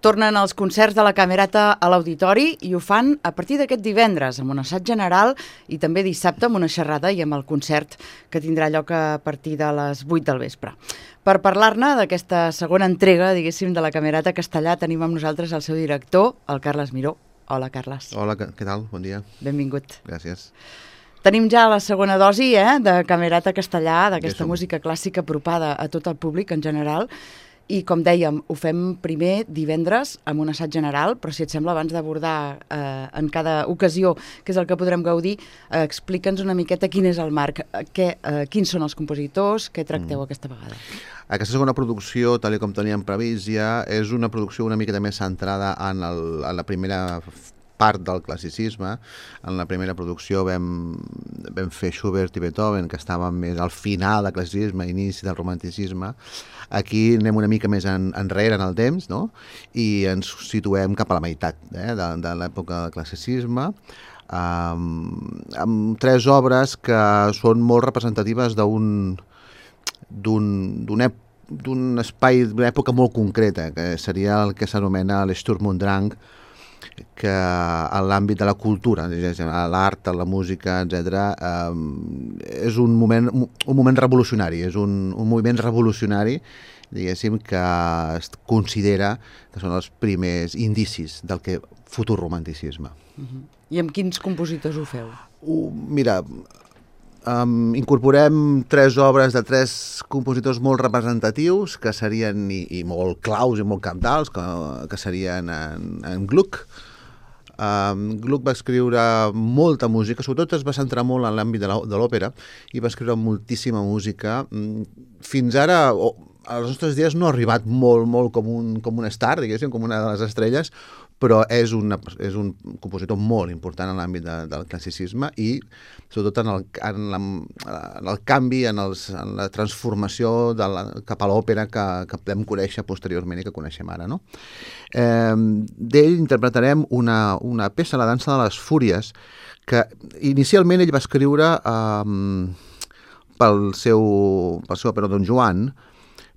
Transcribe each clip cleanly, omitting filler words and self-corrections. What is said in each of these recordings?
Tornen els concerts de la Camerata a l'Auditori i ho fan a partir d'aquest divendres amb un assaig general i també dissabte amb una xerrada i amb el concert que tindrà lloc a partir de les 8 del vespre. Per parlar-ne d'aquesta segona entrega, diguéssim, de la Camerata Castellà, tenim amb nosaltres el seu director, el Carles Miró. Hola, Carles. Hola, què tal? Bon dia. Benvingut. Gràcies. Tenim ja la segona dosi de Camerata Castellà, d'aquesta música clàssica apropada a tot el públic en general. I, com dèiem, ho fem primer divendres amb un assaig general, però si et sembla, abans d'abordar en cada ocasió, que és el que podrem gaudir, explica'ns una miqueta quin és el marc, quins són els compositors, què tracteu aquesta vegada. Aquesta segona producció, tal com teníem previst ja, és una producció una miqueta més centrada en la primera part del classicisme. En la primera producció vam fer Schubert i Beethoven, que estaven més al final del classicisme, inici del romanticisme. Aquí anem una mica més enrere en el temps, no? I ens situem cap a la meitat de l'època del classicisme, amb tres obres que són molt representatives d'un espai, d'una època molt concreta, que seria el que s'anomena l'Sturm und Drang, que en l'àmbit de la cultura, l'art, la música, etc., és un moment revolucionari, és un moviment revolucionari, diguéssim, que es considera que són els primers indicis del que futur romanticisme. I amb quins compositors ho feu? Mira, incorporem tres obres de tres compositors molt representatius, que serien i molt claus i molt cabdals, que serien en Gluck. Gluck va escriure molta música, sobretot es va centrar molt en l'àmbit de l'òpera, i va escriure moltíssima música. Fins ara, als nostres dies, no ha arribat molt com un star, diguéssim, com una de les estrelles, però és un compositor molt important en l'àmbit del classicisme i sobretot en el canvi, en la transformació cap a l'òpera que podem conèixer posteriorment i que coneixem ara, no? D'ell interpretarem una peça, La dansa de les fúries, que inicialment ell va escriure pel seu òpera Don Juan,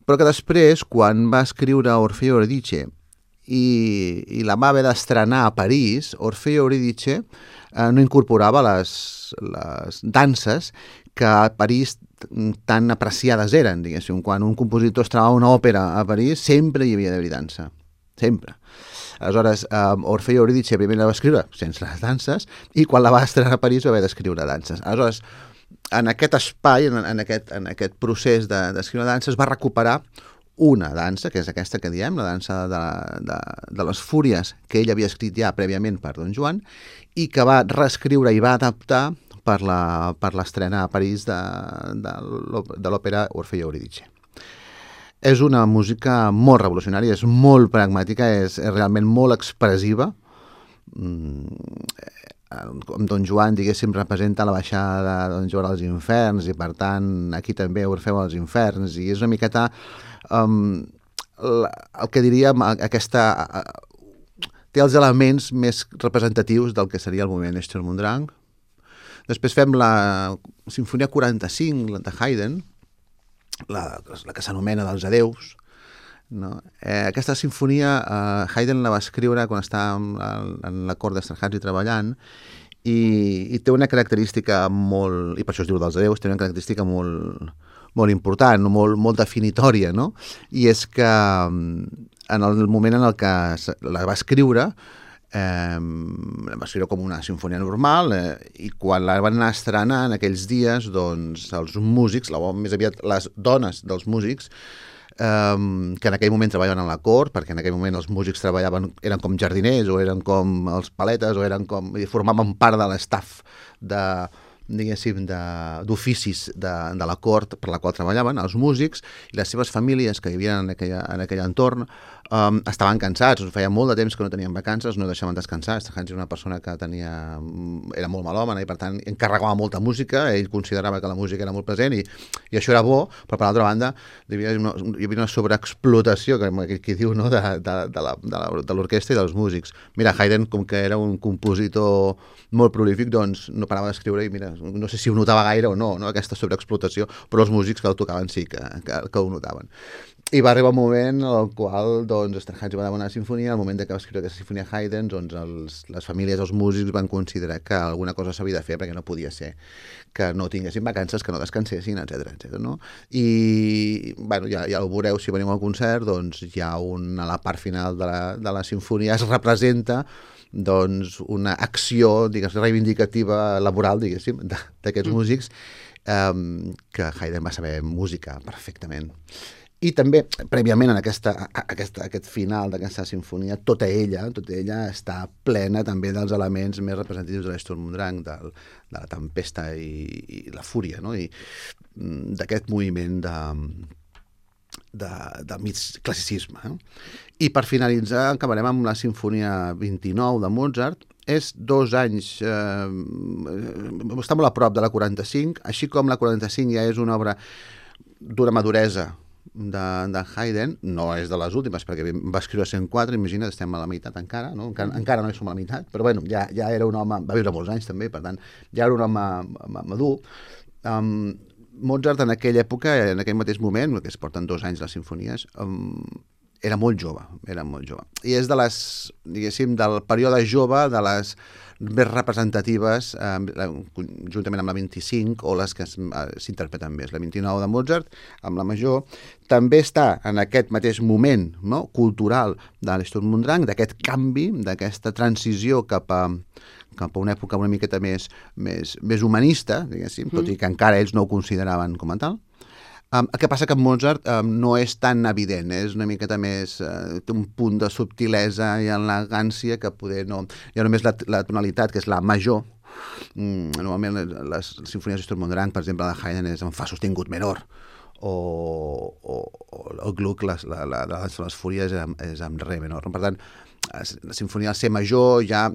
però que després, quan va escriure Orfeo Eurídice i la va haver d'estrenar a París, Orfeo Eurídice no incorporava les danses que a París tan apreciades eren, diguéssim. Quan un compositor estrenava una òpera a París, sempre hi havia d'haver dansa, sempre. Aleshores, Orfeo Eurídice primer la va escriure sense les danses i quan la va estrenar a París va haver d'escriure danses. Aleshores, en aquest espai, en aquest procés d'escriure danses, va recuperar una dansa, que és aquesta que diem, la dansa de les fúries, que ell havia escrit ja prèviament per Don Juan, i que va reescriure i va adaptar per l'estrena a París de l'òpera Orfeo Eurídice. És una música molt revolucionària, és molt pragmàtica, és realment molt expressiva. Don Juan, diguéssim, representa la baixada de Don Juan als inferns i, per tant, aquí també Orfeu als inferns, i és una miqueta el que diríem té els elements més representatius del que seria el moviment Sturm und Drang. Després fem la Simfonia 45 de Haydn, la que s'anomena dels adeus, no? Aquesta sinfonia Haydn la va escriure quan estava en la cort d'Esterházy treballant i té una característica molt, i per això es diu dels adeus, té una característica molt important, molt definitòria, no? I és que en el moment en el que la va escriure com una sinfonia normal, i quan la van anar a estrenar en aquells dies, doncs els músics, més aviat les dones dels músics, que en aquell moment treballaven a la cort, perquè en aquell moment els músics eren com jardiners o eren com els paletes o formaven part de l'estaf d'oficis de la cort per la qual treballaven. Els músics i les seves famílies que vivien en aquell entorn estaven cansats, feia molt de temps que no tenien vacances, no deixaven descansar. Esterházy era una persona que era molt melòmana i, per tant, encarregava molta música. Ell considerava que la música era molt present i això era bo, però per l'altra banda hi havia una sobreexplotació, que diu, no, de l'orquestra i dels músics. Mira, Haydn, com que era un compositor molt prolífic, doncs no parava d'escriure i mira, no sé si ho notava gaire o no, aquesta sobreexplotació, però els músics que el tocaven sí que ho notaven. I va arribar un moment en el qual doncs, Esterházy va demanar una sinfonia, al moment que va escriure aquesta sinfonia Haydn, doncs, les famílies dels músics van considerar que alguna cosa s'havia de fer perquè no podia ser que no tinguessin vacances, que no descansessin, etc. No? I bueno, ja ho veureu si veniu al concert, doncs hi ha a la part final de la sinfonia es representa doncs, una acció reivindicativa laboral, diguéssim, d'aquests músics que Haydn va saber música perfectament. I també, prèviament, en aquest final d'aquesta sinfonia, tota ella està plena també dels elements més representatius de l'Sturm und Drang, de la tempesta i la fúria, no? I d'aquest moviment del mig classicisme. I per finalitzar, acabarem amb la sinfonia 29 de Mozart. És 2 anys, està molt a prop de la 45, així com la 45 ja és una obra d'una maduresa de Haydn, no és de les últimes, perquè va escriure 104, imagina't, estem a la meitat encara, no? Encara no hi som a la meitat, però bueno, ja era un home, va viure molts anys també, per tant, ja era un home madur. Mozart en aquella època, en aquell mateix moment, que es porten 2 anys les sinfonies, era molt jove. I és diguéssim, del període jove, de les més representatives, juntament amb la 25, o les que s'interpreten més. La 29 de Mozart, amb la major, també està en aquest mateix moment, no?, cultural de l'Sturm und Drang, d'aquest canvi, d'aquesta transició cap a una època una miqueta més humanista, diguéssim, tot i que encara ells no ho consideraven com a tal. El que passa que Mozart no és tan evident, és una miqueta més, té un punt de subtilesa i elegància que poder no... Hi ha només la tonalitat, que és la major. Normalment les sinfonies de Sturm und Drang, per exemple, la de Haydn és en fa sostingut menor, o el Gluck, la de les fúries, és amb re menor. Per tant, la sinfonia del C major ja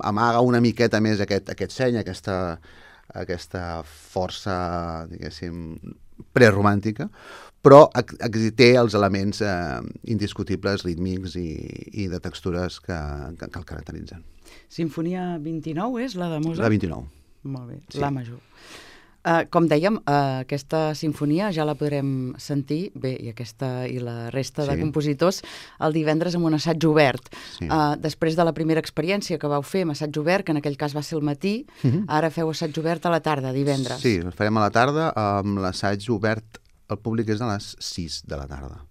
amaga una miqueta més aquest seny, aquesta força, diguéssim, preromàntica, però té els elements indiscutibles, rítmics i de textures que el caracteritzen. Sinfonia 29 és la de Mozart? La 29. Molt bé, sí. La major. Com dèiem, aquesta sinfonia ja la podrem sentir, bé, i la resta de compositors, el divendres amb un assaig obert. Sí. Després de la primera experiència que vau fer amb assaig obert, que en aquell cas va ser al matí, ara feu assaig obert a la tarda, divendres. Sí, el farem a la tarda, amb l'assaig obert al públic és a les 6 de la tarda.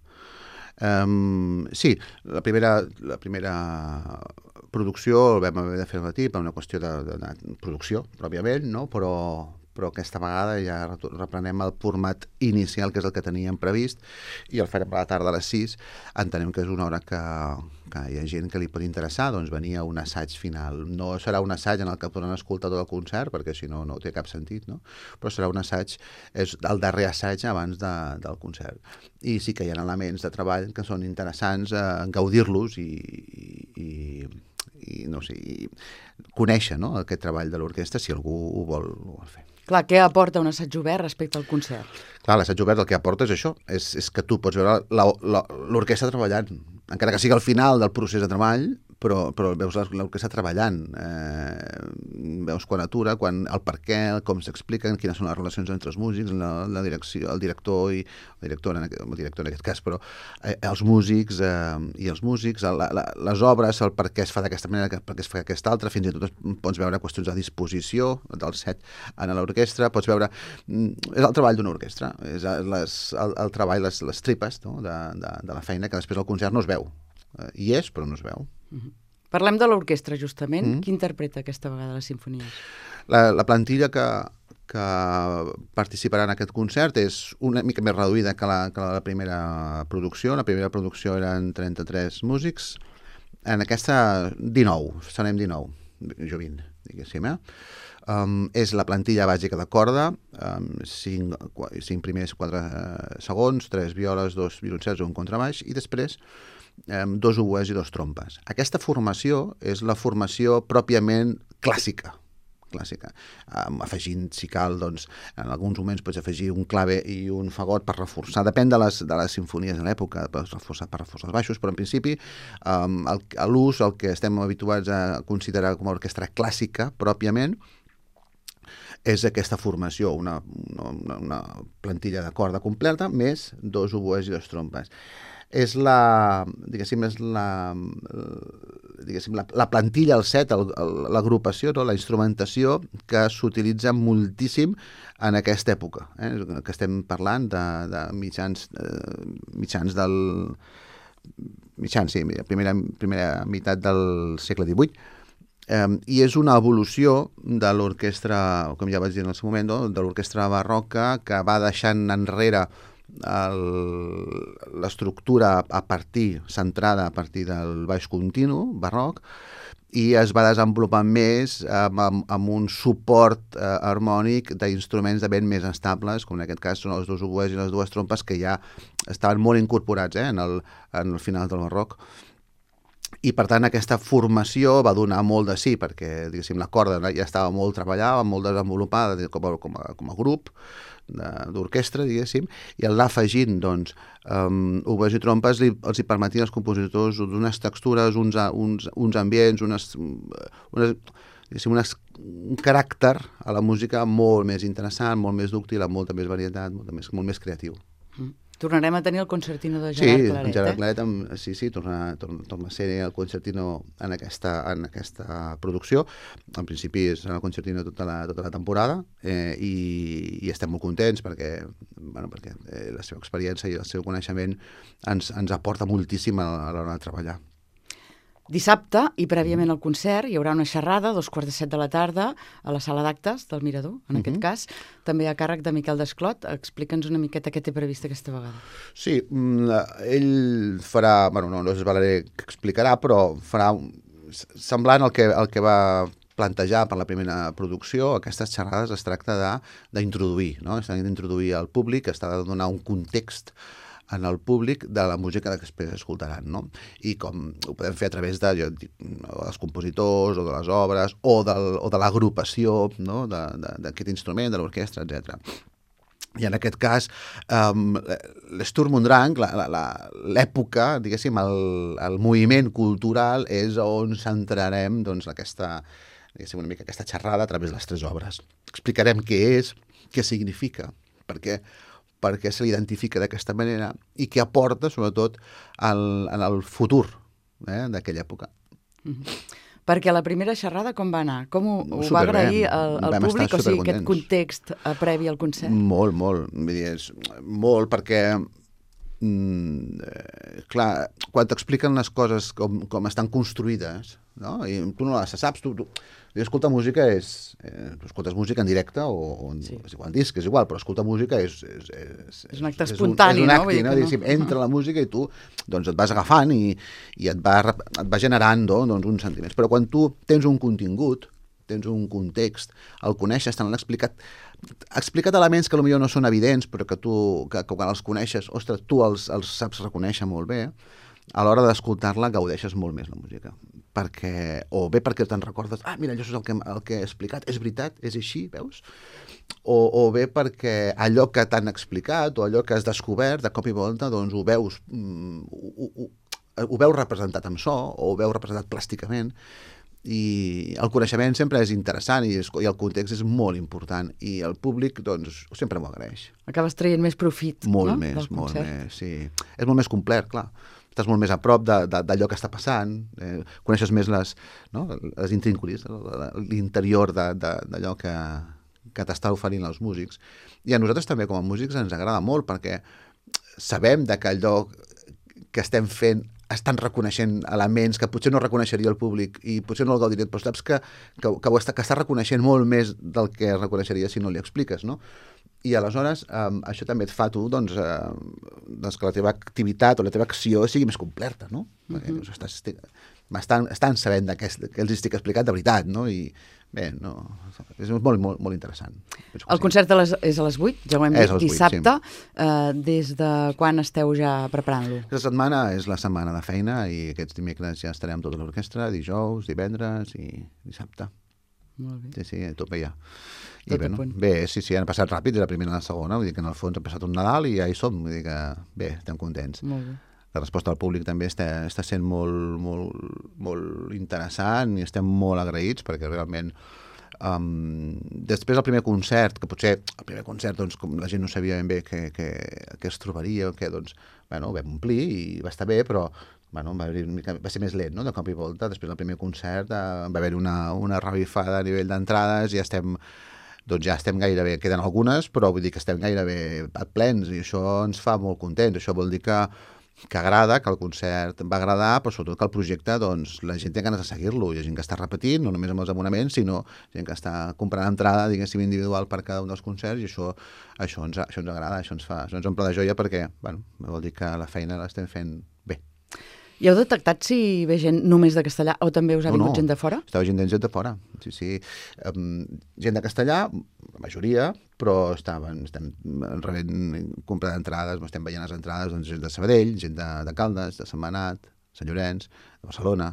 Sí, la primera producció el vam haver de fer al matí per una qüestió de producció, pròpiament, no? Però aquesta vegada ja reprenem el format inicial, que és el que teníem previst, i el farem a la tarda a les 6. Entenem que és una hora que hi ha gent que li pot interessar, doncs venir a un assaig final. No serà un assaig en el que podran escoltar tot el concert, perquè si no, no té cap sentit, no? Però serà un assaig, és el darrer assaig abans del concert. I sí que hi ha elements de treball que són interessants, gaudir-los i no sé, conèixer, no?, aquest treball de l'orquestra, si algú ho vol fer. Clar, què aporta un assaig obert respecte al concert? Clar, l'assaig obert el que aporta és això, és que tu pots veure l'orquestra treballant, encara que sigui al final del procés de treball, però veus l'orquestra treballant, veus quan atura, el per què, com s'expliquen, quines són les relacions entre els músics, la direcció, el director en aquest cas, però els músics i els músics, les obres, el per què es fa d'aquesta manera, per què es fa d'aquesta altra, fins i tot pots veure qüestions de disposició del set en l'orquestra, pots veure... És el treball d'una orquestra, és el treball, les tripes, no?, de la feina, que després al concert no es veu. Hi és, però no es veu. Parlem de l'orquestra, justament. Qui interpreta aquesta vegada les sinfonies? La plantilla que participarà en aquest concert és una mica més reduïda que la primera producció. La primera producció eren 33 músics. En aquesta, 19, serem 19, jo 20, diguéssim, és la plantilla bàsica de corda, 5 primers, 4 segons, 3 violes, 2 violoncels, un contrabaix, i després 2 oboès i 2 trompes. Aquesta formació és la formació pròpiament clàssica, afegint, si cal, doncs, en alguns moments pots afegir un clave i un fagot per reforçar, depèn de les sinfonies de l'època, per reforçar els baixos, però en principi l'ús, el que estem habituats a considerar com a orquestra clàssica pròpiament, és aquesta formació, una plantilla de corda completa, més 2 oboès i 2 trompes. És la plantilla, el set, l'agrupació, no? La instrumentació que s'utilitza moltíssim en aquesta època, que estem parlant de mitjans primera meitat del segle XVIII, i és una evolució de l'orquestra, com ja vaig dir en el seu moment, no? De l'orquestra barroca, que va deixant enrere l'estructura centrada a partir del baix continu barroc, i es va desenvolupant més amb un suport harmònic d'instruments de vent més estables, com en aquest cas són els 2 oboès i les 2 trompes, que ja estaven molt incorporats en el final del barroc. I, per tant, aquesta formació va donar molt de sí, perquè, diguéssim, la corda ja estava molt treballada, molt desenvolupada com a grup d'orquestra, diguéssim, i el anar afegint, doncs, oboès i trompes els hi permetien als compositors unes textures, uns ambients, un caràcter a la música molt més interessant, molt més dúctil, amb molta més varietat, molt més creatiu. Tornarem a tenir el concertino de Gerard Claret. Sí, Gerard Claret, torna a ser el concertino en aquesta producció. En principi és el concertino tota la temporada, i estem molt contents perquè la seva experiència i el seu coneixement ens aporta moltíssim a l'hora de treballar. Dissabte, i prèviament al concert, hi haurà una xerrada a 2:45 de la tarda a la sala d'actes del Mirador, en aquest cas, també a càrrec de Miquel Desclot. Explica'ns una miqueta què té previst aquesta vegada. Sí, ell farà, no és Valer que explicarà, però farà semblant al que va plantejar per la primera producció. Aquestes xerrades es tracta d'introduir, no? Es tracta d'introduir al públic, es tracta de donar un context en el públic de la música que després escoltaran, no? I com ho podem fer a través dels compositors o de les obres o de l'agrupació, no? D'aquest instrument, de l'orquestra, etc. I en aquest cas, l'Sturm und Drang, l'època, diguéssim, el moviment cultural és on centrarem, doncs, una mica aquesta xerrada a través de les 3 obres. Explicarem què és, què significa, perquè se l'identifica d'aquesta manera i què aporta, sobretot, en el futur d'aquella època. Perquè la primera xerrada com va anar? Com ho va agrair el públic? O sigui, aquest context previ al concert? Molt. Vull dir, molt, perquè clar, quan t'expliquen les coses com estan construïdes, no? I tu no les saps, tu escoltar música tu escoltes música en directe o és igual, en disc, és igual, però escoltar música és un acte espontani, no? És un acte, no? Entra la música i tu doncs et vas agafant i et va generant uns sentiments. Però quan tu tens un contingut, tens un context, el coneixes, te l'han explicat elements que potser no són evidents, però que quan els coneixes, ostres, tu els saps reconèixer molt bé, a l'hora d'escoltar-la gaudeixes molt més la música. O bé perquè te'n recordes, mira, això és el que he explicat, és veritat, és així, veus? O bé perquè allò que t'han explicat o allò que has descobert, de cop i volta, doncs ho veus representat amb so o ho veus representat plàsticament. I el coneixement sempre és interessant i el context és molt important i el públic doncs sempre m'ho agraeix. Acabes traient més profit, molt més, sí. És molt més complet, clar. Estàs molt més a prop d'allò que està passant, coneixes més les intrínculis, l'interior d'allò que t'està oferint els músics. I a nosaltres també com a músics ens agrada molt perquè sabem que allò que estem fent estan reconeixent elements que potser no reconeixeria el públic i potser no el gaudiria, però saps que està reconeixent molt més del que reconeixeria si no li expliques, no? I aleshores això també et fa tu doncs, que la teva activitat o la teva acció sigui més completa, no? Perquè estan sabent que els estic explicant de veritat, no? I bé, és molt, molt, molt interessant. El concert és a les 8, ja ho hem dit, dissabte. Des de quan esteu ja preparant-lo? Aquesta setmana és la setmana de feina i aquests dimecres ja estarem tota l'orquestra, dijous, divendres i dissabte. Molt bé. Sí, tot bé ja. Bé, sí, han passat ràpid, és la primera i la segona, vull dir que en el fons ha passat un Nadal i ja hi som, vull dir que bé, estem contents. Molt bé. La resposta del públic també està sent molt, molt, molt interessant i estem molt agraïts perquè realment Després el primer concert, que potser el primer concert, doncs, com la gent no sabia ben bé què es trobaria, doncs, bueno, ho vam omplir i va estar bé, però bueno, va ser més lent, no?, de cop i volta. Després del primer concert va haver una revifada a nivell d'entrades i ja estem gairebé, queden algunes, però vull dir que estem gairebé plens i això ens fa molt contents. Això vol dir que agrada, que el concert va agradar, però sobretot que el projecte, doncs, la gent té ganes de seguir-lo. Hi ha gent que està repetint, no només amb els abonaments, sinó gent que està comprant entrada, diguéssim, individual per cada un dels concerts, i això ens agrada, això ens omple de joia perquè, bueno, vol dir que la feina l'estem fent bé. I heu detectat si ve gent només de castellà o també us ha vingut gent de fora? Estava gent de fora, sí. Gent de castellà, la majoria, però estem rebent compra d'entrades, estem veient les entrades, doncs, gent de Sabadell, gent de Caldes, de Sentmenat, Sant Llorenç, de Barcelona.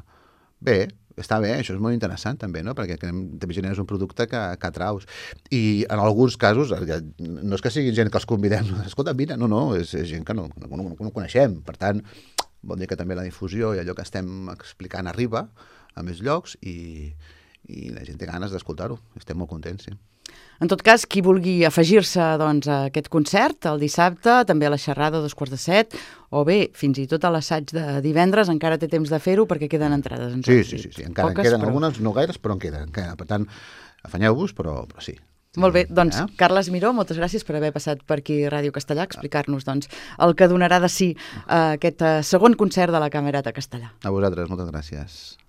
Bé, està bé, això és molt interessant també, no?, perquè també generes un producte que atraus. I en alguns casos, no és que sigui gent que els convidem, escolta, vine, no, és gent que no coneixem, per tant, vol dir que també la difusió i allò que estem explicant arriba a més llocs i la gent té ganes d'escoltar-ho. Estem molt contents, sí. En tot cas, qui vulgui afegir-se doncs, a aquest concert el dissabte, també a la xerrada a 2:45, o bé, fins i tot a l'assaig de divendres, encara té temps de fer-ho perquè queden entrades. Sí, encara en queden algunes, no gaires, però en queden. Per tant, afanyeu-vos, però sí. Molt bé, doncs, Carles Miró, moltes gràcies per haver passat per aquí a Ràdio Castellà, explicar-nos doncs, el que donarà de si aquest segon concert de la Camerata Castellà. A vosaltres, moltes gràcies.